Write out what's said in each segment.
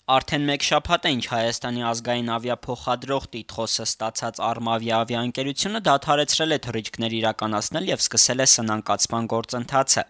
Արդեն մեկ շաբաթ է, ինչ Հայաստանի ազգային ավիափոխադրող տիտղոսը ստացած «Արմավիա» ավիաընկերությունը դադարեցրել է թռիչքներ իրականացնել եւ սկսել է սնանկացման գործընթացը։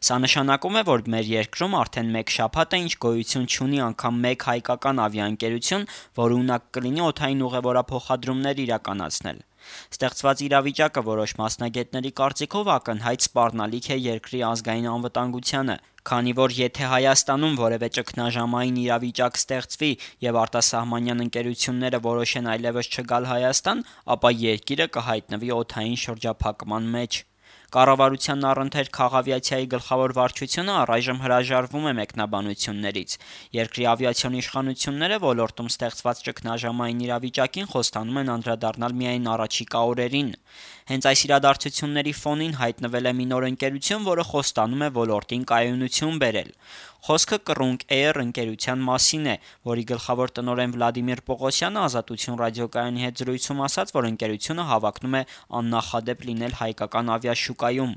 Սա նշանակում է, որ մեր երկրում արդեն մեկ շաբաթ է, ինչ գոյություն չունի անգամ մեկ հայկական ավիաընկերություն, որը ունակ կլինի օդային ուղևորափոխադրումներ իրականացնել։ Ստեղծված իրավիճակը որոշ մասնագետների կարծիքով ակնհայտ սպառնալիք է երկրի ազգային անվտանգությանը, քանի որ եթե Հայաստանում որևէ ճգնաժամային իրավիճակ ստեղծվի եւ արտասահմանյան ընկերությունները որոշեն այլևս չգալ Հայաստան, ապա երկիրը կհայտնվի օդային շրջափակման մեջ։ Կառավարության առընթեր քաղավիացիայի գլխավոր վարչությունը առայժմ հրաժարվում է մեկնաբանություններից։ Երկրի ավիացիոն իշխանությունները ոլորտում ստեղծված ճգնաժամային իրավիճակին խոստանում են անդրադառնալ միայն առաջիկա օրերին։ Հենց այս իրադարձությունների ֆոնին հայտնվել է մի նոր ընկերություն, որը խոստանում է ոլորտին կայունություն բերել։ Խոսքը Կռունկ Էյր ընկերության մասին է, որի գլխավոր տնօրեն Վլադիմիր Պողոսյանը «Ազատություն» ռադիոկայանի հետ զրույցում ասաց, որ ընկերությունը հավակնում է աննախադեպ լինել հայկական ավիաշուկայում։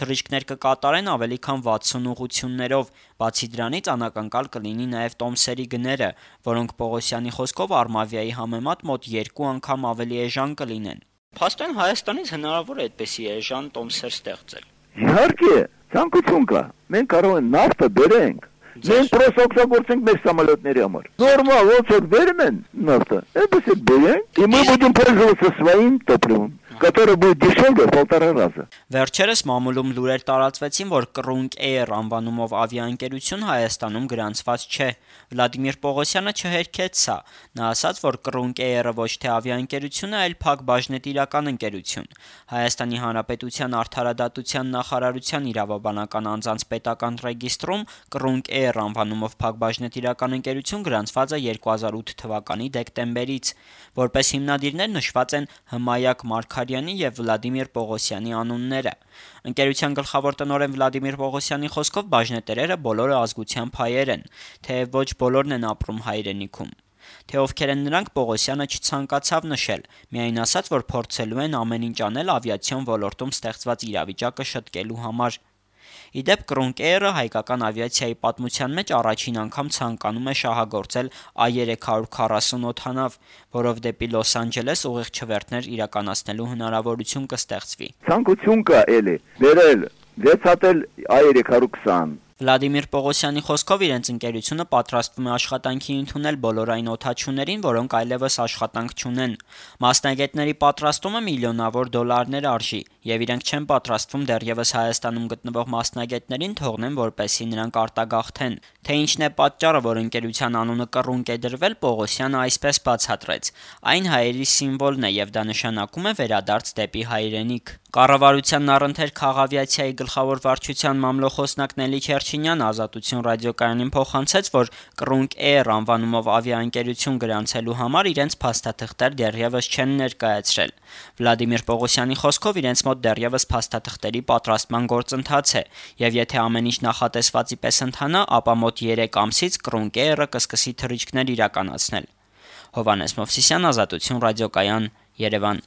Թռիչքներ կկատարեն ավելի քան 60 ուղղություններով, բացի դրանից անակնկալ կլինի նաև տոմսերի գները, որոնք Պողոսյանի խոսքով «Արմավիայի» համեմատ մոտ 2 անգամ ավելի էժան կլինեն։ Փաստորեն Հայաստանից հնարավոր է այդպիսի էժան տոմսեր ստեղծել։ Իհարկե, ցանկություն կա։ Մենք կարող ենք նավթը բերենք։ Մենք պրոս օգտագործենք մեր самолетների համար։ Նորմալ ոնց որ բերում են նավթը, այդպես էլ բերենք, и мы будем пользоваться своим топливом, которое будет дешевле в 1,5 раза։ Վերջերս մամուլում լուրեր տարածվեցին, որ Կռունկ Էյր անվանումով ավիաընկերություն Հայաստանում գրանցված չէ։ Վլադիմիր Պողոսյանը չհերքեց սա։ Նա ասաց, որ Կռունկ Էյրը ոչ թե ավիաընկերություն է, այլ փակ-բաժնետիրական ընկերություն։ Հայաստանի Հանրապետության արդարադատության նախարարության իրավաբանական անձանց պետական ռեգիստրում Կռունկ Էյր անվանումով փակ-բաժնետիրական ընկերություն գրանցված է 2008 թվականի դեկտեմբերից։ Որպես հիմնադիրներ նշված են Հմայակ Մարգարյանի եւ Վլադիմիր Պողոսյանի անունները։ Ընկերության գլխավոր տնօրեն Վլադիմիր Պողոսյանի խոսքով բաժնետերերը բոլորը ազգությամբ հայեր են, թեև ոչ բոլորն են ապրում հայրենիքում։ Թե ովքեր են նրանք, Պողոսյանը չցանկացավ նշել, միայն ասաց, որ փորձելու են ամեն ինչ անել ավիացիոն ոլորտում ստեղծված իրավիճակը շտկելու համար։ Ի դեպ, Կռունկ Էյրը հայկական ավիացիայի պատմության մեջ առաջին անգամ ցանկանում է շահագործել A340 օդանավ, որով դեպի Լոս Անջելես ուղիղ չվերթներ իրականացնելու հնարավորություն կստեղծվի։ Ցանկություն կա էլի բերել 6 հատել A320։ Վլադիմիր Պողոսյանի խոսքով իրենց ընկերությունը պատրաստվում է աշխատանքի ընդունել բոլոր այն օդաչուներին, որոնք այլևս աշխատանք չունեն։ Մասնագետների պատրաստումը միլիոնավոր դոլարներ արժի, եւ իրենք չեն պատրաստվում դեռևս Հայաստանում գտնվող մասնագետներին թողնեն, որպեսզի նրանք արտագաղթեն։ Թե ինչն է պատճառը, որ ընկերության անունը Կռունկ է դրվել, Պողոսյանը այսպես բացատրեց. այն հայերի սիմվոլն է եւ դա նշանակում է վերադարձ դեպի հայրենիք։ Կառավարության առընթեր քաղավիացիայի գլխավոր վարչության մամլոխոսնակ Նելի Չերչինյանը «Ազատություն» ռադիոկայանին փոխանցեց, որ Կռունկ Էյր անվանումով ավիաընկերություն գրանցելու համար իրենց փաստաթղթեր դեռևս չեն ներկայացրել։ Վլադիմիր Պողոսյանի խոսքով իրենց մոտ դեռևս փաստաթղթերի պատրաստման գործընթաց է, եւ եթե ամեն ինչ նախատեսվածի պես ընթանա, ապա մոտ 3 ամսից Կռունկ Էյրը կսկսի թռիչքներ իրականացնել։ Հովհաննես Մովսիսյան, «Ազատություն» ռադիոկայան, Երևան։